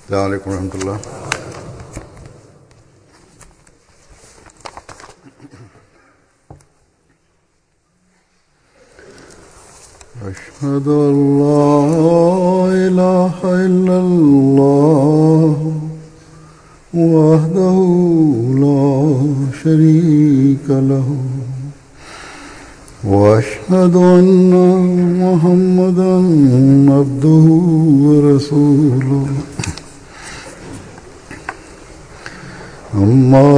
السلام عليڪم ورحمة الله. أشهد أن لا إله إلا الله وحده لا شريك له وأشهد أن محمدا عبده ورسوله أما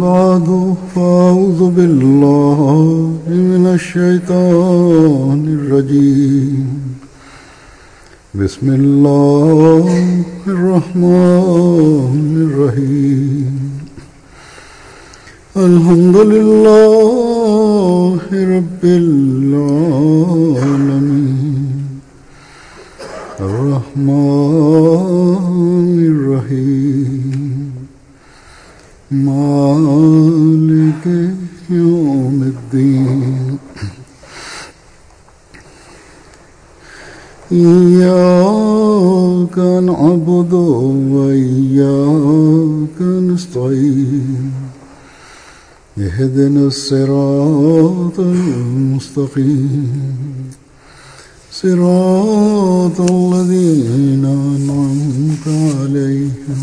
بعد فأعوذ بالله من الشيطان الرجيم بسم الله الرحمن الرحيم الحمد لله رب العالمين الرحمن الرحيم مالك يوم الدين إياك نعبد وإياك نستعين اهدنا الصراط المستقيم صراط الذين أنعمت عليهم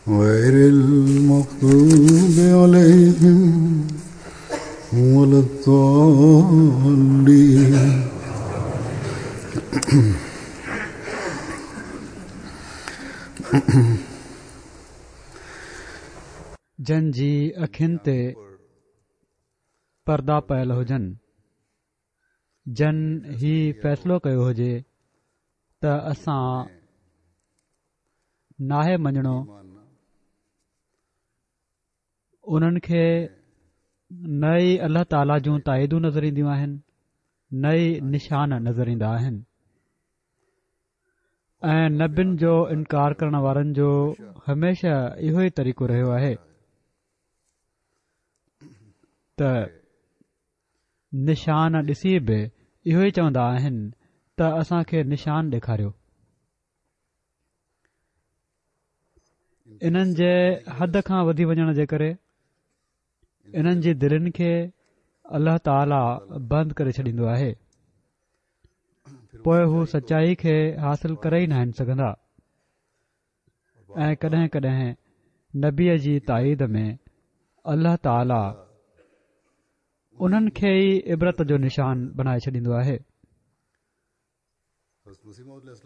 غير المغضوب عليهم ولا الضالين. جن جي اکين تي پردا پيل هجن، جن هي فيصلو ڪيو هجي ته اسان ناهي مڃڻو، انهن کي نه ئي الله تعاليٰ جون تائيدون نظر اينديون آهن نه ئي نشان نظر ايندا آهن ۽ نبين جو انڪار ڪرڻ وارن جو هميشه اهو ئي طريقو رهيو آهي ته نشان ڏسي به اهو ئي چوندا آهن ته اسان کي نشان ڏيکاريو. انهن جي حد کان وڌي وڃڻ جي ڪري انهن جي دلين کي الله تعاليٰ بند ڪري ڇڏيندو آهي پوء هو سچائي کي حاصل ڪري ئي ناهن سگهندا ۽ ڪڏهن ڪڏهن نبيء جي تائيد ۾ الله تعاليٰ انهن کي ئي عبرت جو نشان بنائي ڇڏيندو آهي.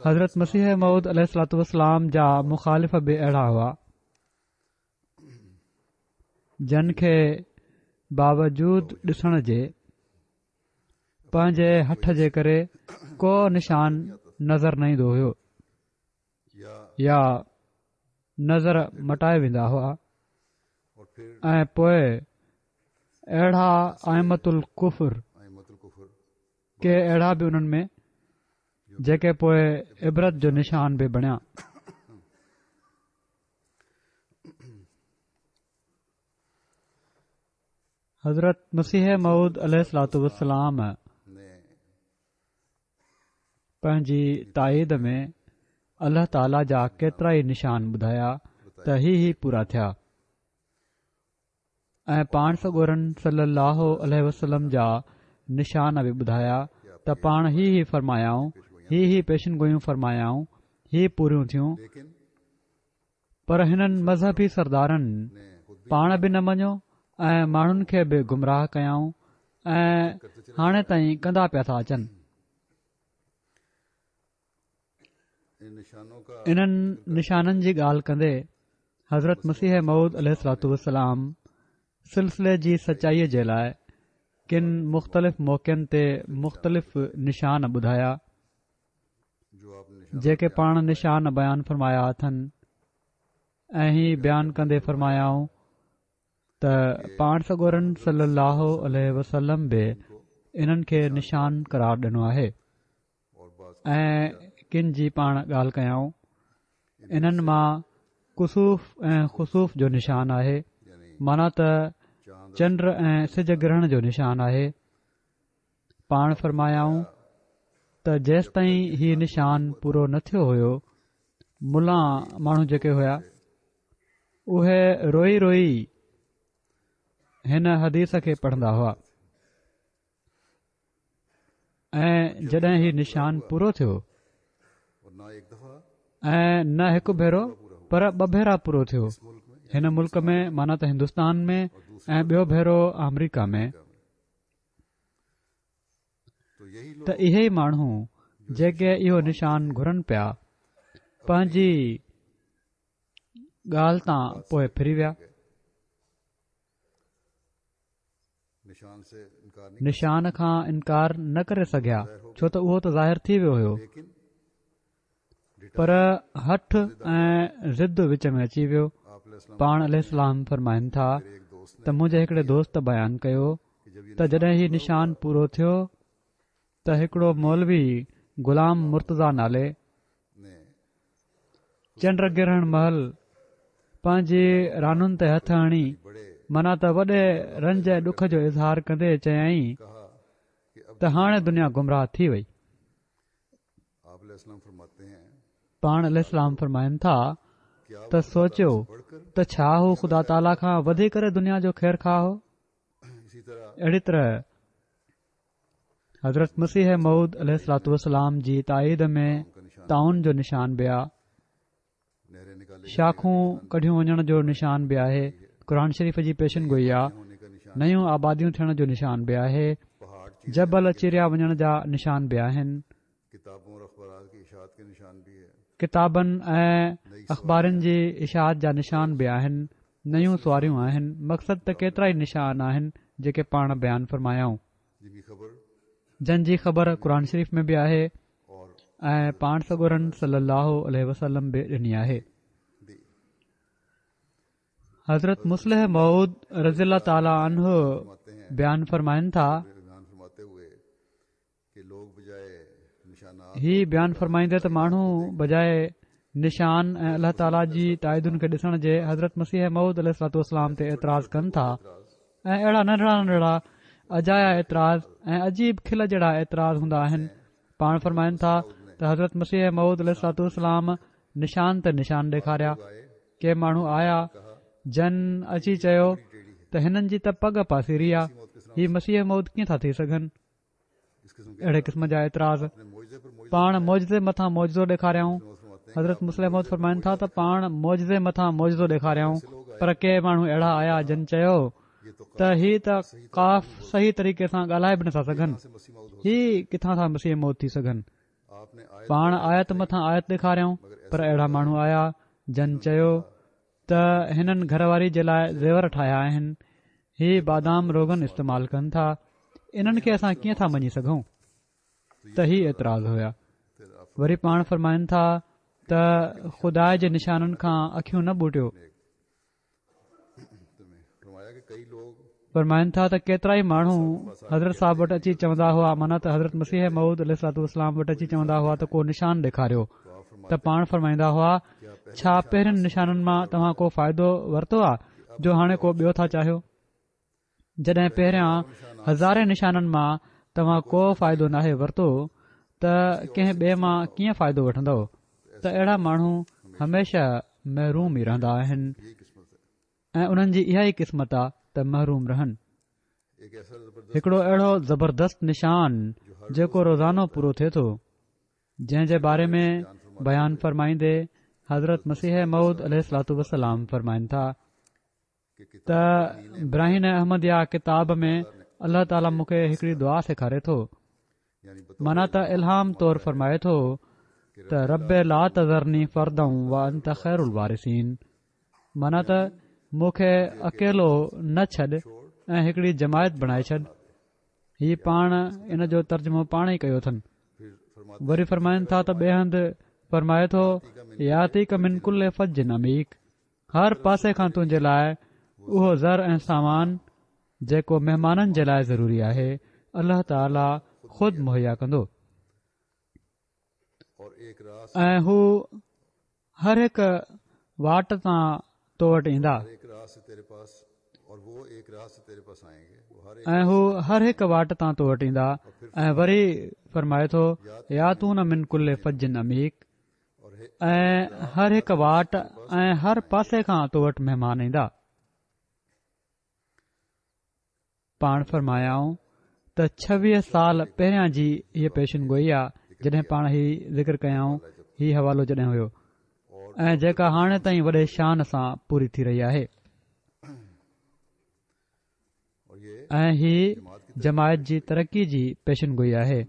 حضرت مسيح موعود عليه الصلوة والسلام جا مخالف به اهڙا هئا جن کي باوجود ڏسڻ جي پنهنجي هٺ جي ڪري ڪو نشان نظر نه ايندو هيو يا نظر مٽائي ويندا هئا ۽ پوء اهڙا ائمة الڪفر ڪي اهڙا به انهن ۾ جيڪي پوء عبرت جو نشان به بڻيا. حضرت مسيح موعود عليه الصلوة والسلام پنهنجي تائيد ۾ الله تعاليٰ جا ڪيترائي نشان ٻڌايا ته هي هي پورا ٿيا. ۽ پاڻ سڳورن صلّي اللّٰه عليه وسلّم جا نشان به ٻڌايا ته پاڻ هي هي فرمايائون، هي هي پيشن گوئيون فرمايائون، هي پوريون ٿيون، پر هنن مذهبي سردارن پاڻ به نه مڃيو ۽ ماڻهن کي به گمراهه ڪيائون ۽ هاڻي تائين ڪندا پيا ٿا اچن. انهن نشانن جي ڳالهه ڪندي حضرت مسيح موعود عليه الصلوة والسلام سلسلي جي سچائيء جي لاء ڪن مختلف موقعن تي مختلف نشان ٻڌايا جيڪي پاڻ نشان بيان فرمايا اٿن ۽ هي بيان ڪندي فرمايائون ته پاڻ سڳورن صلي الله عليه وسلم به انهن کي نشان قرار ڏنو آهي ۽ ڪن جي پاڻ ڳالهه ڪيائون انهن مان ڪسوف ۽ خسوف جو نشان آهي معنيٰ ته چنڊ ۽ سج گرهڻ جو نشان آهي پاڻ فرمايائون ته جيستائين هي نشان پورو نه ٿيو هيو ملان ماڻهو جيڪي هيا اهي روئي روئي هن حديث کي پڙهندا هئا ۽ جڏهن هي نشان پورو ٿيو ۽ نه هڪ ڀيرو پر ٻه ڀيرا پورو ٿيو هن ملڪ ۾ معنيٰ ته هندستان ۾ ۽ ٻيو ڀيرو آمريڪا ۾. ته اهي ئي ماڻهو جيڪي اهو نشان گهرن پيا پنهنجي ڳالهه تان پوء ڦري ويا. نشان کان انڪار نه ڪري سگهيا ڇو ته اهو ته ظاهر ٿي ويو هيو پر هٺ ۽ ضد وچ ۾ اچي ويو. پاڻ عليه السلام فرمائن ٿا ته منهنجي هڪڙي دوست بيان ڪيو ته جڏهن هي نشان پورو ٿيو ته هڪڙو مولوي غلام مرتضيٰ نالي چنڊ گرهڻ مهل پنهنجي رانن تي هٿ هڻي معنيٰ ته وڏي رنج ۽ ڏک جو اظهار ڪندي چيائين ته هاڻي دنيا گمراهه ٿي وئي. پاڻ عليه السلام فرمائن ٿا ته سوچيو ته ڇا هو خدا تعاليٰ کان وڌي ڪري دنيا جو خير خواهه هو؟ اهڙي طرح حضرت مسيح موعود عليه الصلوة والسلام جي تائيد ۾ طاعون جو نشان به آ. شاخون ڪڍيون وڃڻ جو نشان به آهي قرآن شريف جي پيشن گوئي آ نيون آباديون ٿيڻ جو نشان به آهي جبل چيريا وڃڻ جا نشان به آهن ڪتابن ۽ اخبارن جي اشاعت جا نشان به آهن نيون سواريون آهن مقصد ته ڪيترائي نشان آهن جيڪي پاڻ بيان فرمايائون جن جي خبر قرآن شريف ۾ به آهي ۽ پاڻ سڳورن صلي الله عليه وسلم به ڏني آهي. حضرت مصلح موعود رضي الله تعالٰي عنه بيان فرمائن ٿا هي بيان فرمائيندي ته ماڻهو بجاء نشان ۽ الله تعاليٰ جي تائيدن کي ڏسڻ جي حضرت مسيح موعود عليه الصلوة والسلام تي اعتراض ڪن ٿا ۽ اهڙا ننڍڙا ننڍڙا اجايا اعتراض ۽ عجيب کل جهڙا اعتراض هوندا آهن پاڻ فرمائن ٿا ته حضرت مسيح موعود عليه الصلوة والسلام نشان تي نشان ڏيکاريا ڪي ماڻهو آيا جن اچي چيو ته هنن جي ته پڳ پاسيري آ هي مسيح موعود ڪيئن ٿا ٿي سگهن اهڙي قسم جا اعتراض پاڻ معجزي مٿان معجزو ڏيکاريائون حضرت مصلح موعود فرمائن ٿا ته پاڻ معجزي مٿان معجزو ڏيکاريائون پر ڪي ماڻهو اهڙا آيا جن چيو ته هي ته قاف صحيح طريقي سان ڳالهائي به نٿا سگهن هي ڪٿان ٿا مسيح موعود ٿي سگهن پاڻ آيت مٿان آيت ڏيکاريائون پر اهڙا ماڻهو آيا جن چيو ته هنن گهر واري جي لاء زيور ٺاهيا آهن، هي بادام روغن استعمال ڪن ٿا، انهن کي اسان ڪيئن ٿا مڃي سگهون؟ ته هي اعتراض هيا. وري پاڻ فرمائن ٿا ته خدا جي نشانن کان اکيون نه ٻوٽيو. فرمائن ٿا ته ڪيترائي ماڻهو حضرت صاحب وٽ اچي چوندا هئا معنيٰ ته حضرت مسيح موعود عليه الصلوة والسلام وٽ اچي چوندا هئا ته ڪو نشان ڏيکاريو ته پاڻ فرمائيندا هئا ڇا پهرين نشانن مان توهان ڪو فائدو ورتو آ جو هاڻي ڪو ٻيو ٿا چاهيو جڏهن پهريان هزارين نشانن مان توهان ڪو فائدو ناهي ورتو ته ڪنهن ٻئي مان ڪيئن فائدو وٺندؤ ته اهڙا ماڻهو هميشه محروم ئي رهندا آهن ۽ انهن جي اها ئي قسمت آ ته محروم رهن. هڪڙو اهڙو زبردست نشان جيڪو روزانو پورو ٿئي ٿو، جنهن جي باري ۾ بيان فرمائيندي حضرت مسيح موعود عليه الصلوة والسلام فرمائن ٿا ته براهين احمديه ڪتاب ۾ الله تعاليٰ مون کي هڪڙي دعا سيکاري ٿو معنيٰ ته الهام طور فرمائي ٿو ته رب لا تذرني فردا وانت خير الوارثين معنيٰ ته مون کي اڪيلو نه ڇڏ ۽ هڪڙي جماعت بڻائي ڇڏ هي پاڻ ان جو ترجمو پاڻ ئي ڪيو اٿن وري فرمائن ٿا ته ٻئي هنڌ فرمائي ٿو ياتيڪ من ڪل فج عميق هر پاسي کان تنهنجي لاء اهو زر ۽ سامان جيڪو مهمانن جي لاء ضروري آهي الله تعاليٰ خود مهيا ڪندو ۽ هو هر هڪ واٽ تان تو وٽ ايندا ۽ هو هر هڪ واٽ تان تو وٽ ايندا ۽ وري فرمائي ٿو ياتون من ڪل فج عميق. ۽ هر هڪ واٽ ۽ هر پاسي کان تو وٽ مهمان ايندا. پاڻ فرمايائون ته 26 سال پهريان جي هيء پيشن گوئي آ جڏهن پاڻ هي ذڪر ڪيائون هي حوالو جڏهن هيو ۽ جيڪا هاڻي تائين وڏي شان سان پوري ٿي رهي آهي ۽ هي جماعت جي ترقي جي پيشن گوئي آهي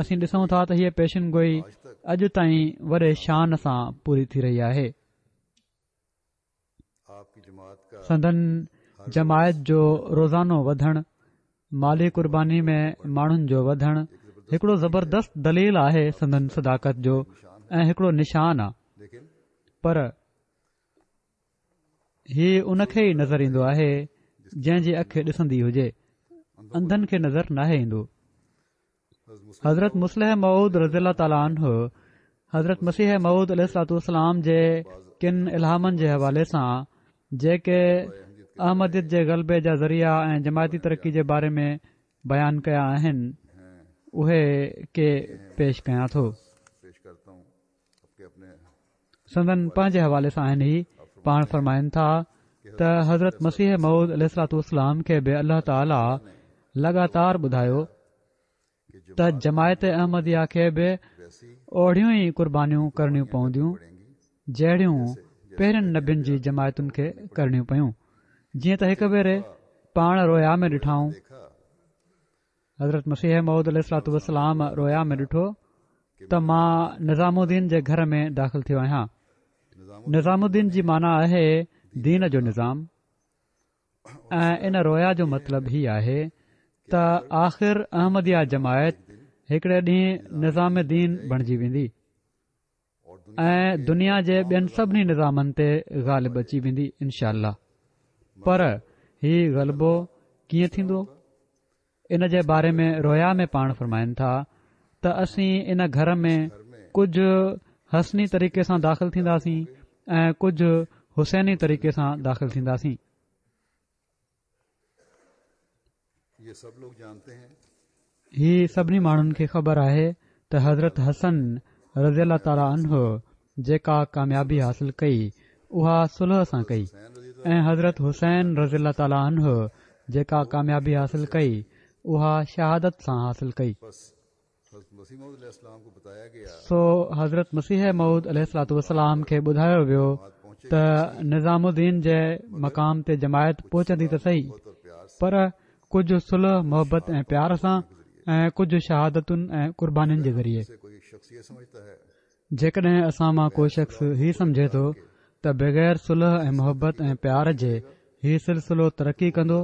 اسين ڏسون ٿا ته هيء پيشن گوئي اڄ تائين وڏي شان سان پوري ٿي رهي آهي سندن جماعت جو روزانو وڌڻ، مالي قرباني ۾ ماڻهن جو وڌڻ هڪڙو زبردست دليل آهي سندن صداقت جو ۽ هڪڙو نشان آ پر هي ان کي ئي نظر ايندو آهي جنهن جي اک ڏسندي هجي انڌن کي نظر ناهي ايندو. حضرت مصلح موعود رضي الله تعالٰي عنه حضرت مسيح موعود عليه الصلوٰة والسلام جي ڪن الهامن جي حوالي سان جيڪي احمديت جي غلبي جا ذريعا ۽ جماعتي ترقي جي باري ۾ بيان ڪيا آهن اهي ڪي پيش ڪيان ٿو. سندن پنهنجي حوالي سان آهن هي پاڻ فرمائن ٿا ته حضرت مسيح موعود عليه الصلوٰة والسلام کي به الله تعاليٰ لڳاتار ٻڌايو ته جماعت احمديه کي به اوڙيون ئي قربانيون ڪرڻيون پونديون جهڙيون پهرين نبين جي جماعتن کي ڪرڻيون پيون جيئن ته هڪ ڀيري پاڻ رويا ۾ ڏٺائون حضرت مسيح موعود عليه الصلوٰة والسلام رويا ۾ ڏٺو ته مان نظام الدين جي گهر ۾ داخل ٿيو آهيان نظام الدين جي معنيٰ آهي دين جو نظام ۽ ان رويا جو مطلب هي آهي ته آخر احمديه جماعت هڪڙي ڏينهن نظام دين بڻجي ويندي ۽ دنيا جي ٻين سڀني نظامن تي غالب اچي ويندي انشاء الله پر هي غلبو ڪيئن ٿيندو ان جي باري ۾ رويا ۾ پاڻ فرمائن ٿا ته اسين ان گهر ۾ ڪجهه حسني طريقي سان داخل ٿينداسين ۽ ڪجهه حسيني طريقي سان داخل ٿينداسين هي سڀني ماڻهن کي خبر آهي ته حضرت حسن رضي الله تعالٰي عنه جيڪا ڪاميابي حاصل ڪئي اها صلح سان ڪئي ۽ حضرت حسين رضي الله تعالٰي عنه جيڪا ڪاميابي حاصل ڪئي اها شهادت سان حاصل ڪئي. سو حضرت مسيح موعود عليه الصلوٰة والسلام کي ٻڌايو ويو ته نظام الدين جي مقام تي جماعت پهچندي ته سهي پر ڪجهه صلح محبت ۽ پيار سان ۽ ڪجهه شهادتن ۽ قربانين جي ذريعي. جيڪڏهن اسان مان ڪو شخص هي سمجهي ٿو ته بغير صلح ۽ محبت ۽ پيار جي هي سلسلو ترقي ڪندو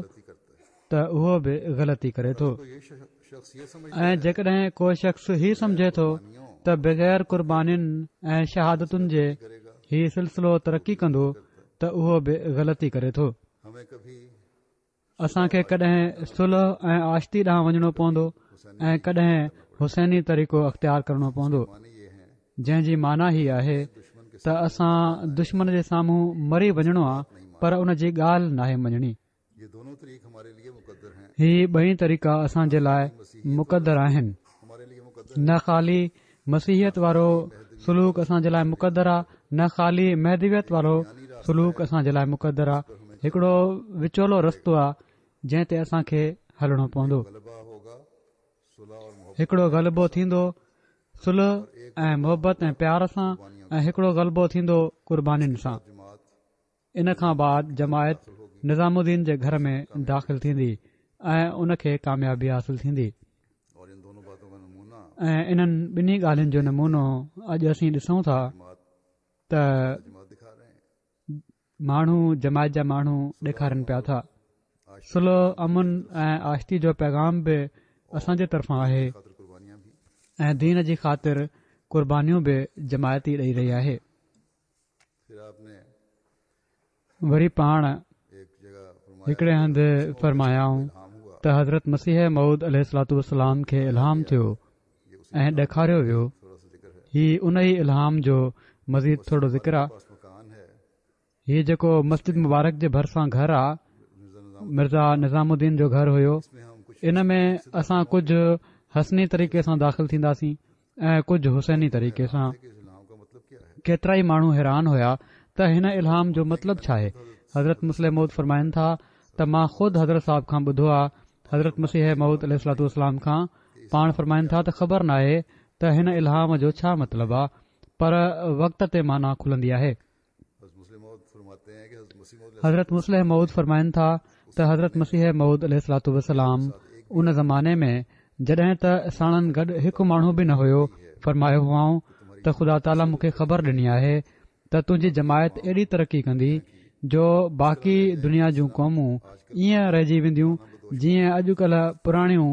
ته اهو به غلطي ڪري ٿو ۽ جيڪڏهن ڪو شخص هي سمجهي ٿو ته بغير قربانين ۽ شهادتن جي هي سلسلو ترقي ڪندو ته اهو به غلطي ڪري ٿو. اسان کي ڪڏهن صلح ۽ آشتي ڏانهن وڃڻو پوندو ۽ ڪڏهن حسيني طريقو اختيار ڪرڻو پوندو جنهن جي معنيٰ هي آهي ته اسان دشمن جي سامهون مري وڃڻو آ پر ان جي ڳالهه ناهي مڃڻي هي ٻئي طريقا اسان جي لاء مقدر آهن نه خالي مسيحيت وارو سلوڪ اسان جي لاء مقدر آ نه خالي مهدويت وارو سلوڪ اسان جي لاء مقدر آ هڪڙو وچولو رستو آ جنهن تي اسان کي هلڻو پوندو هڪڙو غلبو ٿيندو صلح ۽ محبت ۽ پيار سان ۽ هڪڙو غلبو ٿيندو قربانين سان ان کان بعد جماعت نظام الدين جي گهر ۾ داخل ٿيندي ۽ ان کي ڪاميابي حاصل ٿيندي ۽ انهن ٻنهي ڳالهين جو نمونو اڄ اسين ڏسون ٿا ته ماڻهو جماعت جا ماڻهو ڏيکارن پيا ٿا صلح امن ۽ آشتي جو پيغام به اسان جي طرفان آهي ۽ دين جي خاطر قربانيون به جماعت ئي ڏئي رهي آهي وري پاڻ هڪڙي هنڌ فرمايائون ته حضرت مسيح موعود عليه الصلوٰة والسلام کي الهام ٿيو ۽ ڏيکاريو ويو هي ان ئي الهام جو مزيد ٿورو ذڪر آ هي جيڪو مسجد مبارڪ جي ڀرسان گهر آ مرزا نظام الدين جو گهر هيو ان ۾ اسان ڪجهه حسني طريقي سان داخل ٿينداسين ۽ ڪجهه حسيني طريقي سان. ڪيترائي ماڻهو حيران هيا ته هن الهام جو مطلب ڇا آهي؟ حضرت مصلح موعود فرمائن ٿا ته مان خود حضرت صاحب کان ٻڌو آ حضرت مسيح موعود عليه الصلوة والسلام کان پاڻ فرمائن ٿا ته خبر ناهي ته هن الهام جو ڇا مطلب آ پر وقت تي معنيٰ کلندي آهي. حضرت مصلح موعود فرمائن ٿا ته حضرت مسيح موعود عليه الصلوة والسلام ان زماني ۾ جڏهن ته ساڻن گڏ هڪ ماڻهو به نه هيو فرمايو هئائون ته خدا تعاليٰ مون کي خبر ڏني آهي ته تنهنجي جماعت ايڏي ترقي ڪندي جو باقي دنيا جون قومون ائين رهجي وينديون جيئن اڄڪلهه پراڻيون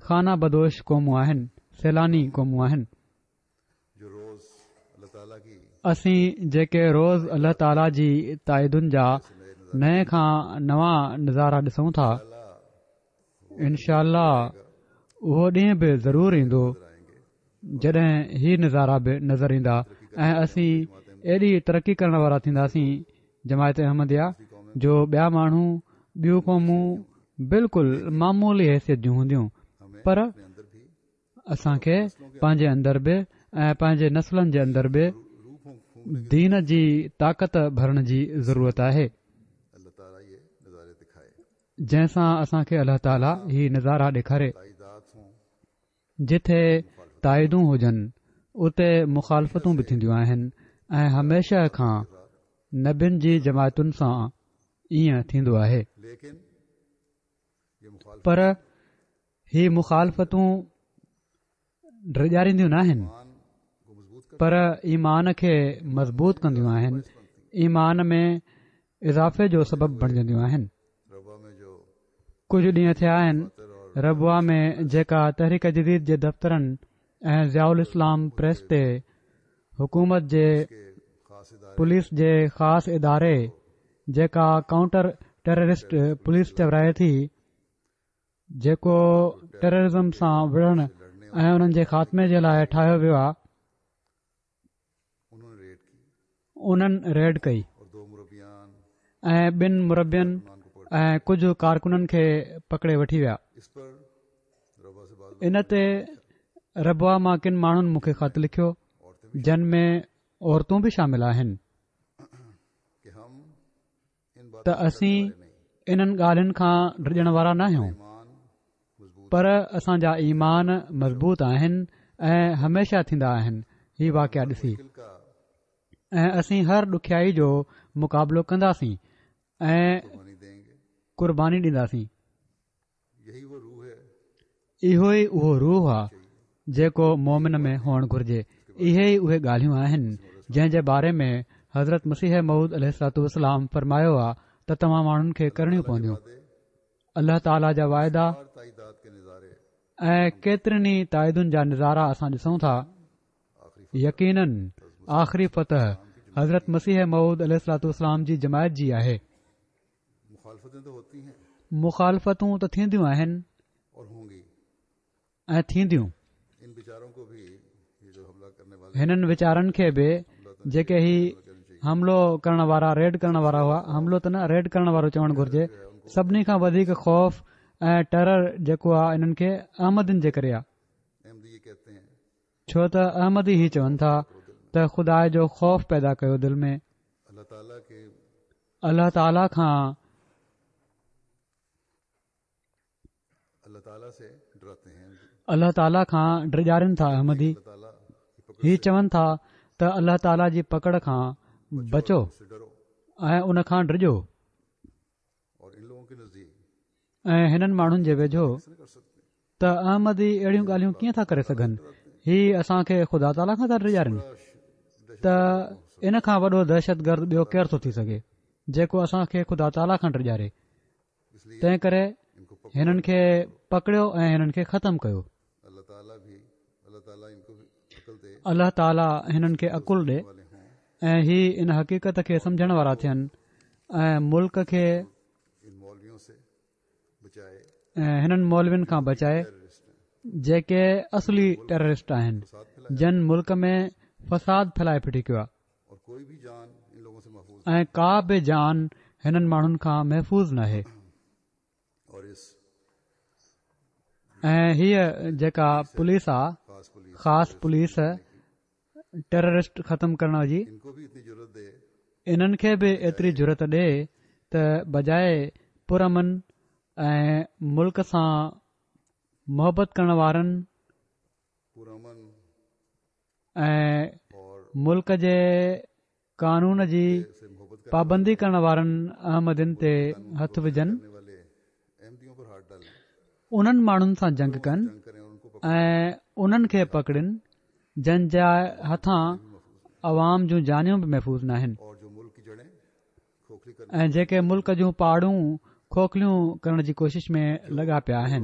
خانه بدوش قومون آهن سيلاني قومون آهن. اسين جيڪي روز الله تعاليٰ جي تائيدن جا نئين کان نوان نظارا ڏسون ٿا انشاء الله اهو ڏينهن به ضرور ايندو جڏهن هي نظارا به نظر ايندا ۽ اسين ايڏي ترقي ڪرڻ وارا ٿينداسين جماعت احمديه جو ٻيا ماڻهو ٻيون قومون بلڪل معمولي حيثيت جون هونديون پر اسان کي پنهنجي اندر به ۽ پنهنجي نسلن جي اندر به دين جي طاقت ڀرڻ جي ضرورت آهي جنهن سان اسان کي الله تعاليٰ هي نظارا ڏيکاري جتي تائيدون هجن اتي مخالفتون به ٿينديون آهن ۽ هميشه کان نبين جي جماعتن سان ائين ٿيندو آهي پر هي مخالفتون ڊيڄارينديون ناهن پر ايمان کي مضبوط ڪنديون آهن ايمان ۾ اضافي جو سبب بڻجنديون آهن ڪجهه ڏينهن ٿيا آهن ربوه ۾ جيڪا تحريڪ جديد جي دفترن ۽ ضياء الاسلام پريس تي حڪومت جي پوليس جي خاص اداري جيڪا ڪائونٽر ٽيررسٽ پوليس چورائي ٿي جيڪو ٽيررزم سان وڙهڻ ۽ انهن جي خاتمي جي لاء ٺاهيو ويو آهي انهن ريڊ ڪئي ۽ ٻن مربين ۽ ڪجهه ڪارڪنن کي پڪڙي وٺي ويا ان تي ربوه مان ڪن ماڻهن مون کي خط لکيو جن ۾ عورتون به شامل آهن ته اسين انهن ڳالهين کان ڊڄڻ وارا ناهيون پر اسان جا ايمان مضبوط آهن ۽ هميشه ٿيندا آهن هي واقعا ڏسي ۽ اسين هر ڏکيائي جو مقابلو ڪنداسين ۽ قرباني ڏينداسين اهو ئي اهو روح آ جيڪو مومن ۾ هئڻ گهرجي. اهي ئي اهي ڳالهيون آهن جنهن جي باري ۾ حضرت مسيح موعود عليه الصلوة والسلام فرمايو آ ته توهان ماڻهن کي ڪرڻيون پونديون. الله تعاليٰ جا واعدا ۽ ڪيترين ئي تائيدن جا نظارا اسان ڏسون ٿا. يقيناً آخري فتح حضرت مسيح موعود عليه الصلوة والسلام جي جماعت جي آهي. مخالفتون ته ٿينديون آهن ۽ ٿينديون هنن ويچارن کي به جيڪي هي حملو ڪرڻ وارا ريڊ ڪرڻ وارا هئا حملو ته نه ريڊ ڪرڻ وارو چوڻ گهرجي سڀني کان وڌيڪ خوف ۽ ٽيرر جيڪو آهي انهن کي احمدين جي ڪري آهي ڇو ته احمدي هي چون ٿا ته خدا جو خوف پيدا ڪيو دل ۾ الله تعاليٰ کان الله تعاليٰ کان ڊيڄارين ٿا احمدي هي چون ٿا ته الله تعاليٰ جي پڪڙ کان بچو ۽ ان کان ڊڄو ۽ هنن ماڻهن جي ويجهو ته احمدي اهڙيون ڳالهيون ڪيئن ٿا ڪري سگهن هي اسان کي خدا تعاليٰ کان ٿا ڊيڄارين ته ان کان وڏو دهشت گرد ٻيو ڪير ٿو ٿي سگهي جيڪو اسان کي خدا تعاليٰ کان ڊيڄاري تنهن ڪري هنن کي پڪڙيو ۽ هنن کي ختم ڪيو الله تعاليٰ هنن کي عقل ڏي ۽ هي ان حقيقت کي سمجهڻ وارا ٿين ۽ ملڪ کي ۽ هنن مولوين کان بچائي جيڪي اصلي ٽيررسٽ آهن جن ملڪ ۾ فساد ڦهلائي ڦٽي ڪيو آهي ۽ ڪا به جان هنن ماڻهن کان محفوظ ناهي ۽ هيء جيڪا پوليس آ خاص پوليس ٽيررسٽ ختم ڪرڻ جي انهن کي به ايتري جرئت ڏي ته بجاء پرامن ۽ ملڪ سان محبت ڪرڻ وارن ۽ ملڪ جي قانون جي پابندي ڪرڻ وارن احمدين تي هٿ وجهن، انهن ماڻهن سان جنگ ڪن ۽ انهن کي پڪڙين جن جي هٿان عوام جون جانيون به محفوظ ناهن ۽ جيڪي ملڪ جون پاڙون کوکليون ڪرڻ جي ڪوشش ۾ لڳا پيا آهن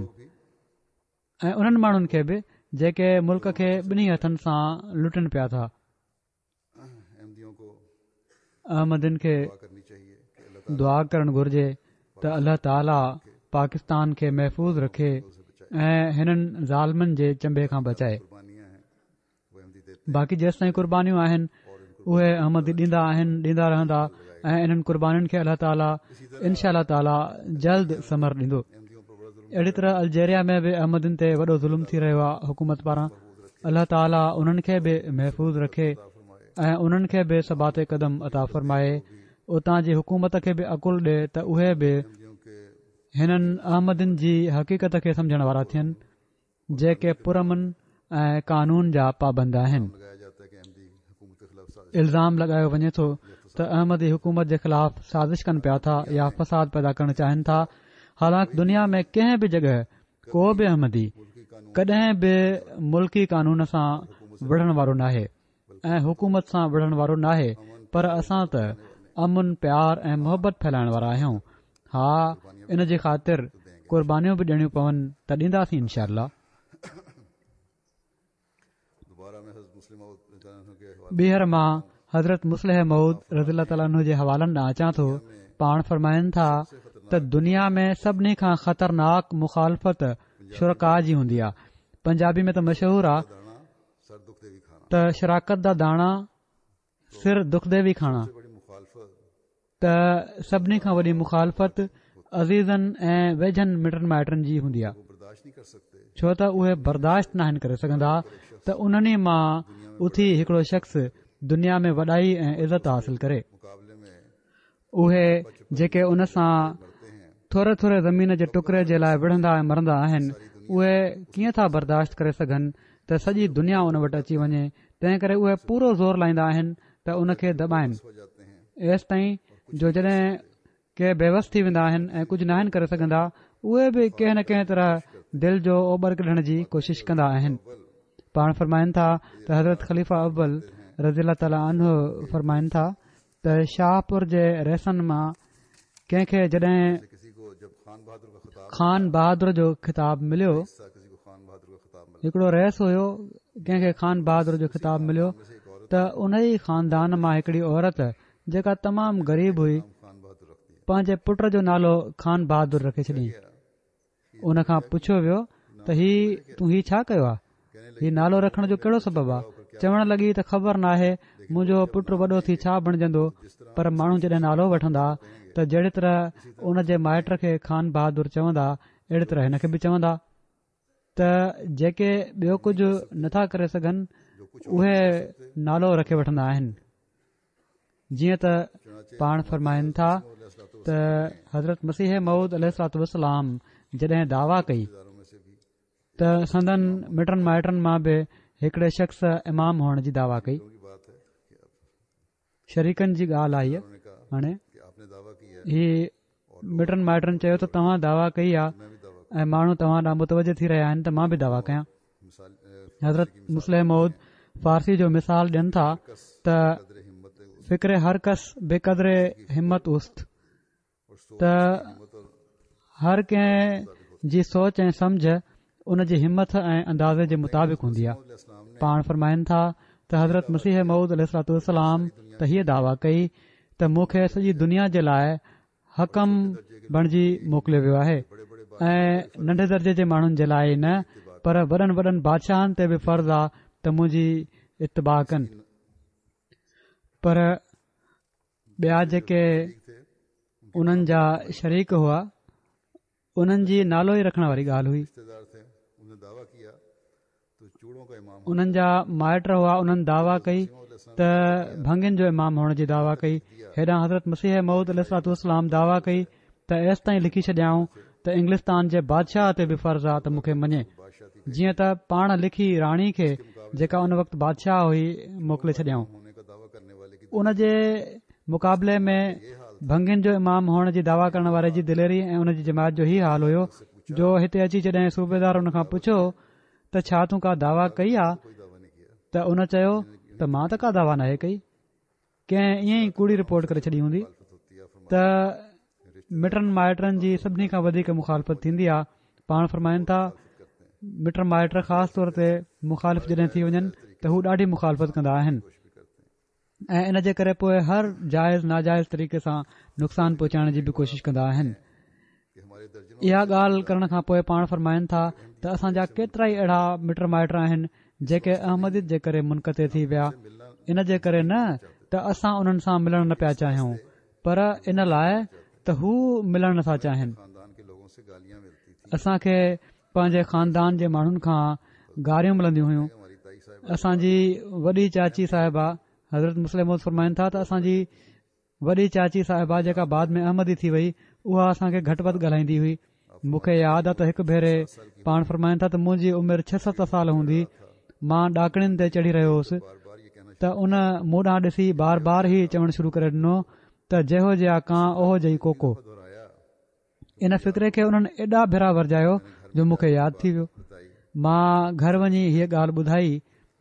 ۽ انهن ماڻهن کي به جيڪي ملڪ کي ٻنهي هٿن سان لٽن پيا ٿا. احمدين کي دعا ڪرڻ گهرجي ته الله تعالي پاڪستان کي محفوظ رکي ۽ هنن ظالمن جي چنبي کان بچائي. باقي جيستائين قربانيون آهن اهي احمدي ڏيندا آهن ڏيندا رهندا ۽ انهن قربانين کي الله تعالي انشاء الله تعالي جلد ثمر ڏيندو. اهڙي طرح الجيريا ۾ به احمدين تي وڏو ظلم ٿي رهيو آهي حڪومت پاران الله تعالي انهن کي به محفوظ رکي ۽ انهن کي به ثبات قدم عطا فرمائي اتان جي حڪومت کي به عقل ڏي ته اهي به هنن احمدين جي حقيقت کي سمجهڻ وارا ٿين جيڪي پرامن ۽ قانون جا پابند آهن. الزام لڳايو وڃي ٿو ته احمدي حڪومت جي خلاف سازش ڪن پيا ٿا يا فساد پيدا ڪرڻ چاهين ٿا حالانڪ دنيا ۾ ڪنهن به جڳهه ڪو به احمدي ڪڏهن به ملڪي قانون سان وڙهڻ وارو ناهي ۽ حڪومت سان وڙهڻ وارو ناهي پر اسان ته امن پيار ۽ محبت ڦهلائڻ وارا آهيون ها ان جي خاطر قربانيون به ڏيڻيون پون ته ڏينداسين انشاء الله. ٻيهر مان حضرت مصلح موعود رضي الله تعالٰي عنه جي حوالن ڏانهن اچان ٿو پاڻ فرمائن ٿا ته دنيا ۾ سڀني کان خطرناڪ مخالفت شرڪاء جي هوندي آهي پنجابي ۾ ته مشهور آهي ته شراڪت دا داڻا سر دکدي وي کاڻا ته سڀني کان وڏي مخالفت عزيزن ۽ ويجهن مٽن مائٽن جي هوندي آهي ڇو ته اهي برداشت ناهن ڪري سگهندا ته انهن ئي مان اٿي هڪڙو شخص دنيا ۾ وڏائي ۽ عزت حاصل ڪري اهي جيڪي ان سان ٿوري ٿوري زمين جي ٽڪري جي لاء وڙهندا ۽ مرندا آهن اهي ڪيئن ٿا برداشت ڪري سگهن ته سڄي دنيا ان وٽ اچي وڃي تنهن ڪري اهي پورو زور لائيندا آهن ته ان کي دٻائن ايستائين جو جڏهن ڪي بيوس ٿي ويندا آهن ۽ ڪجهه ناهن ڪري سگهندا اهي به ڪنهن نه ڪنهن طرح دل جو اوٻر ڪڍڻ جي ڪوشش ڪندا آهن پاڻ فرمائن ٿا ته حضرت خليفه اول رضي الله تعالٰي عنه فرمائن ٿا ته شاهپور جي رئيسن مان ڪنهن کي جڏهن خان بهادر جو خطاب مليو هڪڙو رئيس هيو ڪنهن کي خان بهادر جو خطاب مليو ته ان ئي خاندان مان هڪڙي عورت جيڪا تمام غريب هئي پنهنجي پٽ جو نالو خان بهادر رکي ڇڏيائين ان کان پڇيو ويو ته هي تون هي ڇا ڪيو آهي؟ هي نالو رکڻ جو ڪهڙو سبب آهي؟ چوڻ لڳي ته خبر ناهي منهنجو پٽ وڏو ٿي ڇا بڻجندو پر ماڻهو جڏهن نالو وٺندا ته جهڙي طرح ان جي مائٽ کي خان بهادر چوندا اهڙي طرح هن کي به چوندا ته جيڪي ٻيو ڪجهه نٿا ڪري سگهن اهي نالو رکي وٺندا آهن. جيئن ته پاڻ فرمائن ٿا ته حضرت مسيح موعود عليه الصلوٰة والسلام جڏهن دعويٰ ڪئي ته سندن مٽن مائٽن مان به هڪڙي شخص امام هئڻ جي دعويٰ ڪئي شريڪن جي ڳالهه آهي هاڻي هي مٽن مائٽن چيو ته توهان دعويٰ ڪئي آهي ۽ ماڻهو توهان ڏانهن متوجه ٿي رهيا آهن ته مان به دعويٰ ڪيان حضرت مصلح موعود فارسي جو مثال ڏين ٿا ته فڪر هر ڪس به قدر همت اوست ته هر ڪنهن جي سوچ ۽ سمجه ان جي همت ۽ اندازي جي مطابق هوندي آهي پاڻ فرمائن ٿا ته حضرت مسيح موعود عليه الصلوٰة والسلام ته هيء دعويٰ ڪئي ته مون کي سڄي دنيا جي لاء حڪم بڻجي موڪليو ويو آهي ۽ ننڍي درجي جي ماڻهن جي لاء ئي نه پر وڏن وڏن بادشاهن تي به فرض آ ته منهنجي اتباع ڪن پر ٻيا جيڪي انهن جا شريڪ هئا انهن جي نالو ئي رکڻ واري ڳالهه هئي. انهن جا مائٽ هئا انهن دعويٰ ڪئي ته ڀنگين جو امام هئڻ جي دعويٰ ڪئي هيڏانهن حضرت مسيح موعود عليه الصلوة والسلام دعويٰ ڪئي ته ايستائين لکي ڇڏيائون ته انگلستان جي بادشاهه تي به فرض آ ته مون کي مڃي جيئن ته پاڻ لکي راڻي کي جيڪا ان وقت بادشاهه هئي موڪلي ڇڏيائون ان جي مقابلي ۾ ڀنگين جو امام هئڻ جي دعويٰ ڪرڻ واري جي دليري ۽ ان جي جماعت جو هي حال هيو جو هتي اچي جڏهن صوبيدار ان کان پڇيو ته ڇا تون ڪا دعويٰ ڪئي آ ته ان چيو ته مان ته ڪا دعويٰ ناهي ڪئي ڪنهن ائين ئي ڪوڙي رپورٽ ڪري ڇڏي هوندي ته مٽن مائٽن جي سڀني کان وڌيڪ مخالفت ٿيندي آ پاڻ فرمائن ٿا مٽ مائٽ خاص طور تي مخالف جڏهن ٿي وڃن ته هو ڏاڍي مخالفت ڪندا آهن ۽ ان جي ڪري پوء هر جائز ناجائز طريقي سان نقصان پهچائڻ جي به ڪوشش ڪندا آهن اها ڳالهه ڪرڻ کان پوء پاڻ فرمائن ٿا ته اسان جا ڪيترا ئي اهڙا مٽ مائٽ آهن جيڪي احمديت جي ڪري منقطع ٿي ويا ان جي ڪري نه ته اسان انهن سان ملڻ نه پيا چاهيون پر ان لاء ته هو ملڻ نٿا چاهين اسان کي پنهنجي خاندان جي ماڻهن کان گاريون ملنديون هيون اسان جي وڏي چاچي صاحبه حضرت مصلح موعود فرمائن ٿا ته اسان جي وڏي چاچي صاحبه جيڪا بعد ۾ احمدي ٿي وئي اها اسان کي گهٽ وڌ ڳالهائيندي هئي مون کي ياد آ ته هڪ ڀيري پاڻ فرمائن ٿا ته منهنجي عمر ڇهه ست سال هوندي مان ڏاڪڻين تي چڙهي رهيو هوس ته ان مون ڏانهن ڏسي بار بار هي چوڻ شروع ڪري ڏنو ته جهو جيها ڪان اوهو جهي ڪوڪو ان فقري کي انهن ايڏا ڀيرا ورجايو جو مون کي ياد ٿي ويو مان گهر وڃي هيء ڳالهه ٻڌائي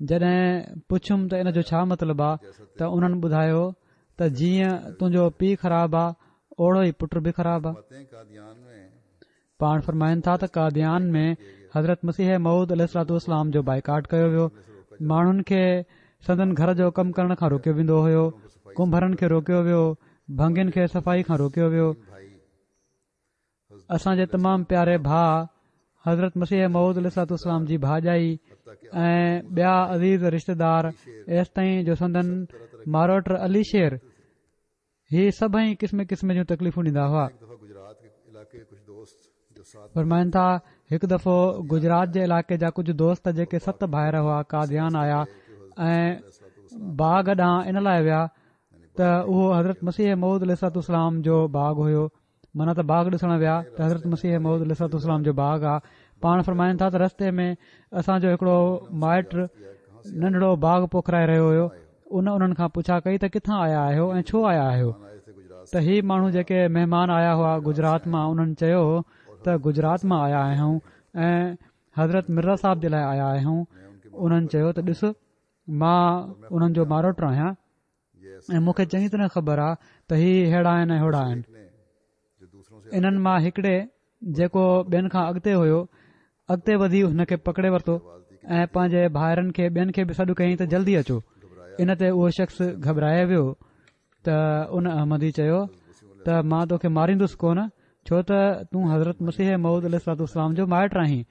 جڏهن پڇيم ته ان جو ڇا مطلب آ ته انهن ٻڌايو ته جيئن تنهنجو پيء خراب آ اوڙو ئي پٽ به خراب آ پاڻ فرمائن ٿا ته قاديان ۾ حضرت مسيح موعود عليه الصلوة والسلام جو بائيڪاٽ ڪيو ويو ماڻهن کي سندن گهر جو ڪم ڪرڻ کان روڪيو ويندو هيو ڪنڀرن کي روڪيو ويو ڀنگين کي صفائي کان روڪيو ويو اسان جي تمام پياري ڀاء حضرت مسيح موعود عليه الصلوة والسلام جي ڀاڄائي ۽ ٻيا عزيز رشتيدار ايستائين جو سندن ماروٽ علي شير هي سڀئي قسم قسم جون تڪليفون ڏيندا هئا فرمائن ٿا هڪ دفعو گجرات جي علائقي جا ڪجهه دوست جيڪي ست ڀائر هئا قاديان آيا ۽ باغ ڏانهن ان لاء ويا ته اهو حضرت مسيح موعود عليه الصلوة والسلام جو باغ هيو معنيٰ ته باغ ڏسڻ ويا ته حضرت مسيح موعود عليه الصلوة والسلام جو باغ آ پاڻ فرمائن ٿا ته رستي ۾ اسان جو هڪڙو مائٽ ننڍڙو باغ پوکرائي رهيو هيو ان انهن کان پڇا ڪئي ته ڪٿان آيا آهيو ۽ ڇو آيا آهيو ته هي ماڻهو جيڪي مهمان آيا هئا گجرات مان انهن چيو ته گجرات مان آيا آهيون ۽ حضرت مرزا صاحب جي لاء آيا آهيون انهن چيو ته ڏس مان انهن جو ماروٽ آهيان ۽ مون کي چڱي طرح خبر آ ته هي ههڙا آهن ۽ هوڙا آهن انهن مان هڪڙي جيڪو ٻين کان اڳتي هيو اڳتي وڌي هن کي پڪڙي ورتو ۽ پنهنجي ڀائرن کي ٻين کي به سڏ ڪيائين ته جلدي اچو ان تي اهو شخص گهٻرائي ويو ته ان احمدي چيو ته مان توکي ماريندس ڪونه ڇو ته تون حضرت مسيح موعود عليه الصلوة والسلام جو مائٽ آهين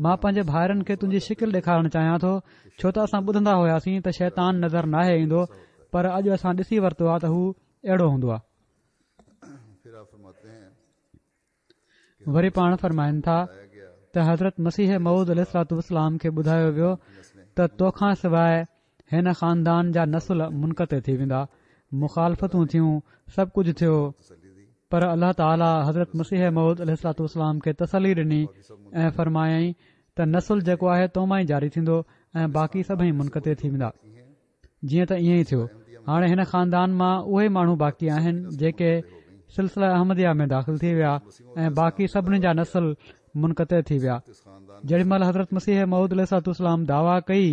مان پنهنجي ڀائرن کي تنهنجي شڪل ڏيکارڻ چاهيان ٿو ڇو ته اسان ٻڌندا هياسين ته شيطان نظر ناهي ايندو پر اڄ اسان ڏسي ورتو آهي ته هو اهڙو هوندو آهي. وري پاڻ فرمائن ٿا ته حضرت مسيح موعود عليه الصلوة والسلام کي ٻڌايو ويو ته توکان سواء هن خاندان جا نسل منقطع ٿي ويندا، مخالفتون ٿيون، سڀ ڪجهه ٿيو، پر الله تعاليٰ حضرت مسيح موعود عليه الصلوة والسلام کي تسلي ڏني ۽ فرمايائين ته نسل جيڪو آهي تو مان ئي جاري ٿيندو ۽ باقي سڀئي منقطع ٿي ويندا. جيئن ته ائين ئي ٿيو. هاڻي هن خاندان مان اهي ماڻهو باقي آهن جيڪي سلسله احمديه ۾ داخل ٿي ويا ۽ باقي سڀني جا نسل منقطع ٿي ويا. جيڏي مهل حضرت مسيح موعود عليه الصلوة والسلام دعويٰ ڪئي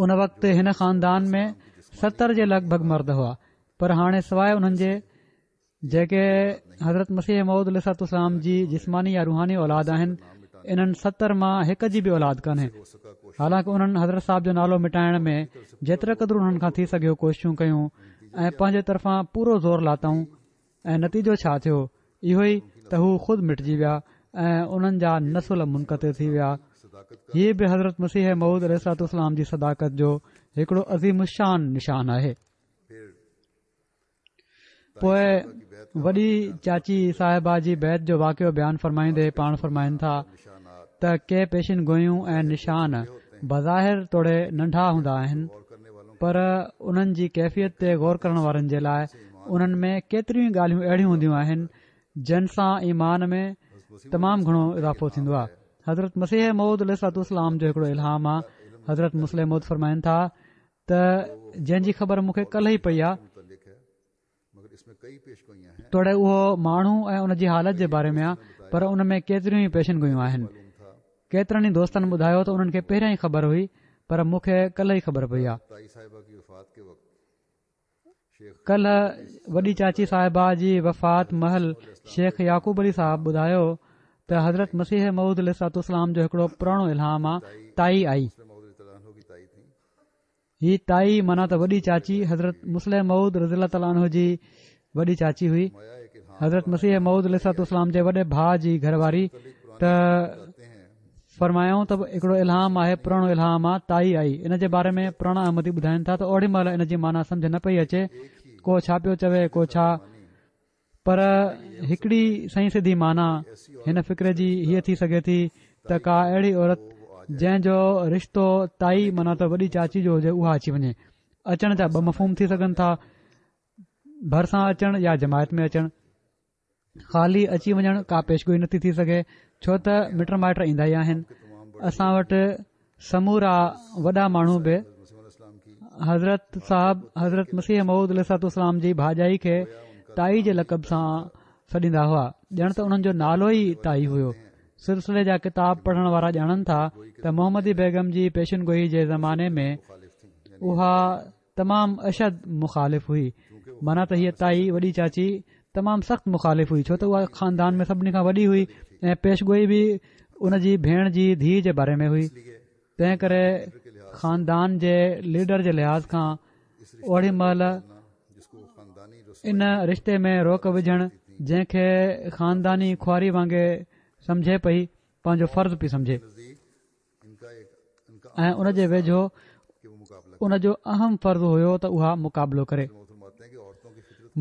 ان وقت هن خاندان ۾ 70 جي لڳ ڀڳ مرد هئا پر هاڻي سواء انهن جي جيڪي حضرت مسيح موعود عليه الصلوة والسلام جي جسماني يا روحاني اولاد آهن انهن 70 مان هڪ جي به اولاد ڪانهي حالانڪه انهن حضرت صاحب جو نالو مٽائڻ ۾ جيتري قدر انهن کان ٿي سگهيو ڪوششون ڪيون ۽ پنهنجي طرفان پورو زور لاتائون ۽ نتيجو ڇا ٿيو؟ اهو ئي ته هو خود مٽجي ويا ۽ انهن جا نسل منقطع ٿي ويا. هي به حضرت مسيح موعود عليه الصلوة والسلام جي صداقت جو هڪڙو عظيم الشان نشان آهي. پوء وڏي چاچي صاحبه جي بيعت جو واقعو بيان فرمائيندي پاڻ فرمائن ٿا. ته ڪي پيشن گوئيون ۽ نشان بظاهر توڙي ننڍا هوندا آهن پر انهن جي ڪيفيت تي غور ڪرڻ وارن جي لاء انهن ۾ ڪيتريون ئي ڳالهيون اهڙيون هونديون آهن جن سان ايمان ۾ تمام گهڻو اضافو ٿيندو آهي. حضرت مسيح موعود عليه الصلوة والسلام جو هڪڙو الهام آهي حضرت مصلح موعود فرمائن ٿا ته جنهن جي خبر مون کي ڪلهه ئي پئي آهي توڙي اهو ماڻهو ۽ ان جي حالت جي باري ۾ آهي پر ان ۾ ڪيتريون ئي پيشن گوئيون آهن ڪيترن ئي دوستن ٻڌايو ته انهن کي پهريان ئي خبر هئي پر مون کي ڪلهه ئي خبر پئي آهي ڪلهه وڏي چاچي صاحبه جي وفات مهل شيخ يعقوب علي صاحب ٻڌايو ته حضرت مسيح موعود عليه الصلوة والسلام جو هڪڙو پراڻو الهام آ تائي آئي هي تائي معنيٰ ته وڏي چاچي حضرت مصلح موعود رضي الله تعالٰي عنه جي وڏي چاچي هئي حضرت مسيح موعود عليه الصلوة والسلام جي وڏي ڀاء جي گهر واري ته فرمايائون ته هڪڙو الهام آهي پراڻو الهام آ تائي آئي ان جي باري ۾ پراڻا احمدي ٻڌائن ٿا ته اوڏي مهل ان جي معنيٰ سمجه نه پئي اچي ڪو ڇا پيو چوي ڪو ڇا پر هڪڙي سنئين سڌي معنيٰ هن فقري جي هيء ٿي سگهي ٿي ته ڪا اهڙي عورت جنهن جو رشتو تائي معنيٰ ته وڏي چاچي جو هجي اها اچي وڃي. اچڻ جا ٻه مفهوم ٿي سگهن ٿا، ڀرسان اچڻ يا جماعت ۾ اچڻ. خالي اچي وڃڻ ڪا پيشگوئي نٿي ٿي سگهي ڇو ته مٽ مائٽ ايندا ئي آهن. اسان وٽ سمورا وڏا ماڻهو به حضرت صاحب حضرت مسيح موعود عليه الصلوة والسلام جي ڀاڄائي کي تائي جي لقب سان سڏيندا هئا ڄڻ ته انهن جو نالو ئي تائي هيو سلسلي جا ڪتاب پڙهڻ وارا ڄاڻن ٿا ته محمدي بيگم جي پيشن گوئي جي زماني ۾ اها تمام اشد مخالف هئي معنيٰ ته هيء تائي وڏي چاچي تمام سخت مخالف هئي ڇو ته اها خاندان ۾ سڀني کان وڏي هئي ۽ پيش گوئي به ان جي ڀيڻ جي ڌيء جي باري ۾ هئي تنهن ڪري خاندان جي ليڊر جي لحاظ کان اوڏي مهل ان رشتي ۾ روڪ وجهڻ جنهن کي خانداني خواري وانگي سمجهي پئي پنهنجو فرض پئي سمجهي ۽ ان جي ويجهو ان جو اهم فرض هيو ته اها مقابلو ڪري.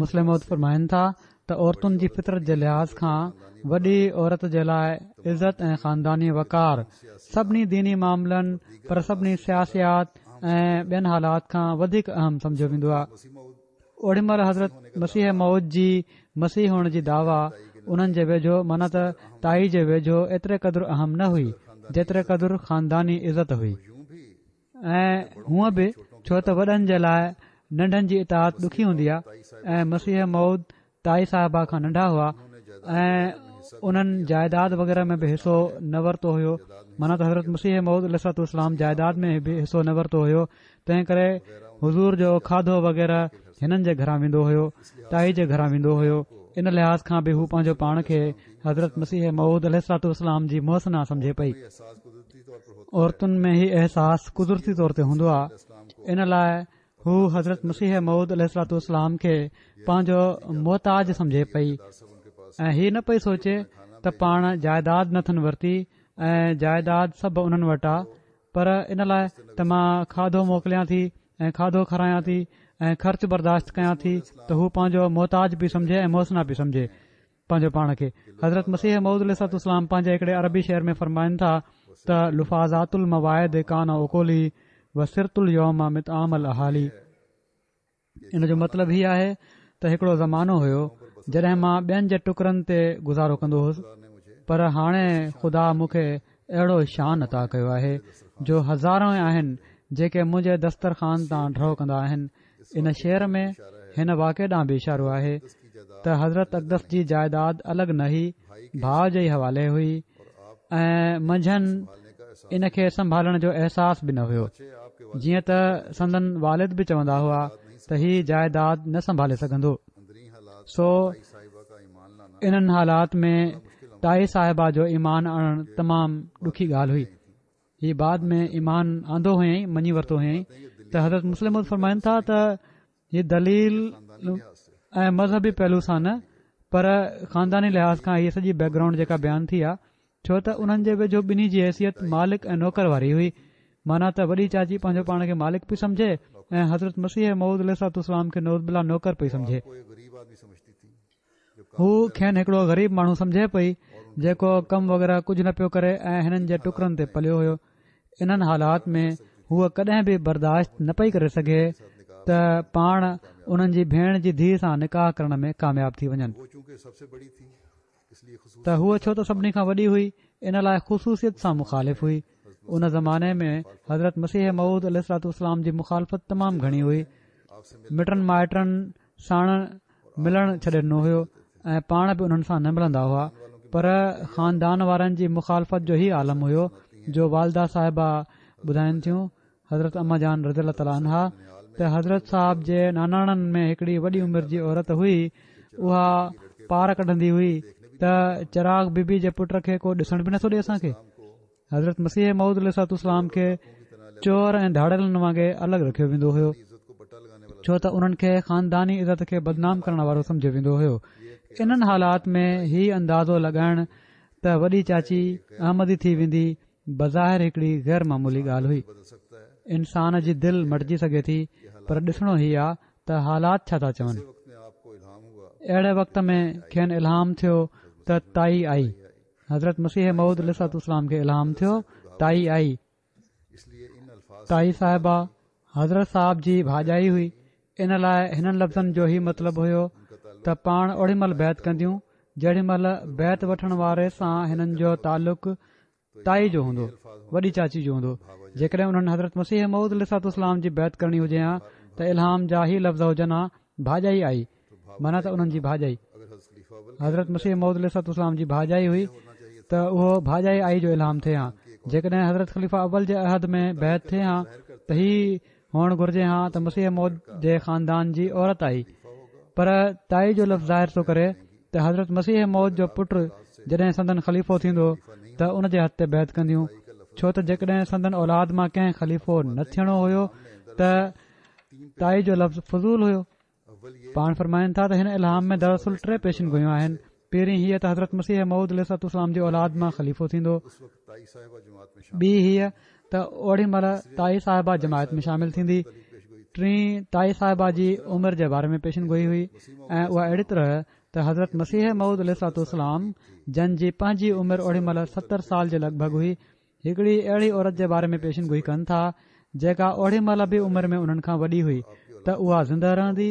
مصلح موعود فرمائن ٿا ته عورتن جي فطرت جي لحاظ کان وڏي عورت جي لاء عزت ۽ خانداني وقار سڀني ديني معاملن پر سڀني سياسيات ۽ ٻين حالات کان وڌيڪ اهم سمجهيو ويندو آهي. اوڏي مهل حضرت مسيح موعود جي مسيح هئڻ جي دعويٰ انهن جي ويجهو معنيٰ ته تائي جي ويجهو ايتري قدر اهم نه هئي جيتري قدر خانداني عزت هئي ۽ هونء به ڇو ته وڏن جي لاء ننڍن جي اطاعت ڏکي هوندي آهي ۽ مسيح موعود تائي صاحبه کان ننڍا هئا ۽ انهن جائيداد وغيره ۾ به حصو نه ورتو هيو معنيٰ ته حضرت مسيح موعود عليه الصلوة والسلام جائيداد ۾ به حصو نه ورتو هيو تنهن ڪري حضور جو کاڌو وغيره هنن جي گهران ويندو هيو تائي جي گهران ويندو هيو ان لحاظ کان به هو پنهنجو پاڻ کي حضرت مسيح موعود عليه الصلوة والسلام جي محسنه سمجهي پئي عورتن ۾ هي احساس قدرتي طور تي هوندو آهي ان لاء هو حضرت مسيح موعود عليه الصلوة والسلام کي پنهنجو محتاج سمجهي پئي ۽ هي نه پئي سوچي ته پاڻ جائيداد نه اٿن ورتي ۽ جائيداد سڀ انهن وٽ آ پر ان لاء ته مان کاڌو موڪليان ٿي ۽ کاڌو کارايان ٿي ۽ خرچ برداشت ڪيان ٿي ته هو پنهنجو محتاج پئي سمجهي ۽ محسنه پئي سمجهي پنهنجو پاڻ کي. حضرت مسيح موعود عليه الصلوة والسلام پنهنجي هڪڙي عربي شعر ۾ فرمائن ٿا ته لفاظات الموائد ڪان اڪلي و صرت اليوم مطعام الاهالي ان جو مطلب هي آهي ته هڪڙو زمانو هيو جڏهن مان ٻين جي ٽڪرن تي گذارو ڪندو هوس پر هاڻي خدا مون کي اهڙو شان عطا ڪيو آهي جو هزارون آهن جيڪي منهنجي دسترخوان تان ڍؤ ڪندا آهن ان شعر ۾ هن واقعي ڏانهن به اشارو آهي ته حضرت اقدس جي جائيداد الڳ نه هئي، ڀاء جي ئي حوالي هئي ۽ منجهن ان کي سنڀالڻ جو احساس به نه هيو جيئن ته سندن والد به چوندا هئا ته هي جائيداد نه سنڀالي سگهندو سو انهن حالات ۾ تائي صاحبه جو ايمان آڻڻ تمام ڏکي ڳالهه هئي هي بعد ۾ ايمان آندو هيائين مڃي ورتو هيائين ته حضرت مصلح موعود فرمائن ٿا ته هي دليل ۽ مذهبي پهلو سان نه پر خانداني لحاظ کان هيء سڄي بيڪ گرائونڊ جيڪا بيان ٿي آ ڇو ته انهن جي ويجهو ٻنهي جي حيثيت مالڪ ۽ نوڪر واري هئي معنيٰ ته وڏي چاچي پنهنجو پاڻ کي مالڪ پئي سمجهي ۽ حضرت مسيح موعود عليه الصلوة والسلام کي نعوذ بالله نوڪر پئي سمجهي هو کين هڪڙو غريب ماڻهو سمجهي پئي جيڪو ڪم وغيره ڪجهه نه پيو ڪري ۽ هنن جي ٽڪرن تي پليو هيو. انهن حالات ۾ هوء ڪڏهن به برداشت نه پئي ڪري سگهي ته پاڻ انهن جي ڀيڻ جي ڌيء سان نڪاح ڪرڻ ۾ ڪامياب ٿي وڃن. ته هوء ڇو ته سڀني کان وڏي هئي ان لاء خصوصيت سان مخالف هئي. ان زماني ۾ حضرت مسيح موعود عليه الصلوة والسلام جي مخالفت تمام گهڻي هئي. مٽن مائٽن ساڻ ملڻ ڇڏي ڏنو هيو ۽ پاڻ به انهن سان نه ملندا هئا پر خاندان وارن جي مخالفت جو هي عالم هيو جو والده صاحبه ٻڌائن ٿيون حضرت اما جان رضي الله تعالٰي عنها ته حضرت صاحب جي ناناڻن ۾ هڪڙي وڏي عمر جي عورت هئي اها پار ڪڍندي هئي ته چراغ بي بي جي پٽ کي ڪو ڏسڻ به نٿو ڏي اسان کي حضرت مسيح موعود عليه الصلوة والسلام کي چور ۽ ڌاڙيلن وانگي الڳ رکيو ويندو هيو ڇو ته انهن کي خانداني عزت کي بدنام ڪرڻ وارو سمجهيو ويندو هيو انهن حالات ۾ هي اندازو لڳائڻ ته وڏي چاچي احمدي ٿي ويندي بظاهر هڪڙي غير معمولي ڳالهه هئي انسان جي دل مٽجي سگهي ٿي پر ڏسڻو هي آ ته حالات ڇا ٿا چون اهڙي وقت ۾ کين الهام ٿيو ته تائي آئي حضرت مسيح موعود عليه الصلوة والسلام کي الهام ٿيو تائي آئي تائي صاحبه حضرت صاحب جي ڀاڄائي هئي ان لاء هنن لفظن جو هي مطلب هيو ته پاڻ اوڙي مهل بيعت ڪنديون جيڏي مهل بيعت وٺڻ واري سان هنن جو تعلق تائي جو هوندو وڏي چاچي جو هوندو جيڪڏهن انهن حضرت مسيح موعود عليه الصلوة والسلام جي بيعت ڪرڻي هجي ها ته الهام جا هي لفظ هجن ها ڀاڄائي آئي معنيٰ ته انهن جي ڀاڄائي حضرت مسيح موعود عليه الصلوة والسلام جي ڀاڄائي هئي ته اهو ڀاڄائي آئي جو الهام ٿئي ها جيڪڏهن حضرت خليفه اول جي عهد ۾ بيعت ٿئي ها ته هي هئڻ گهرجي ها ته مسيح موعود جي خاندان جي عورت آئي پر تائي جو لفظ ظاهر ٿو ڪري ته حضرت مسيح موعود جو پٽ جڏهن سندن خليفو ٿيندو ته ان جي هٿ تي بيعت ڪنديون ڇو ته جيڪڏهن سندن اولاد مان ڪنهن خليفو نه ٿيڻو هيو ته تائي جو لفظ فضول هيو. پاڻ فرمائن ٿا ته هن الهام ۾ دراصل ٽي پيشن گوئيون آهن. پهرين هيء ته حضرت مسيح موعود عليه الصلوة والسلام جي اولاد مان خليفو ٿيندو. ٻي هيء ته اوڙي مهل تائي صاحبه جماعت ۾ شامل ٿيندي. ٽين تائي صاحبه جي عمر جي باري ۾ پيشن گوئي هئي ۽ اها اهڙي طرح ته حضرت مسيح موعود عليه الصلوة والسلام جن جي پنهنجي عمر اوڙي مهل 70 سال جي لڳ ڀڳ هئي هڪڙي اهڙي عورت جي باري ۾ پيشن گوئي ڪن ٿا جيڪا اوڙي مهل به عمر ۾ انهن کان وڏي هئي ته اها زنده رهندي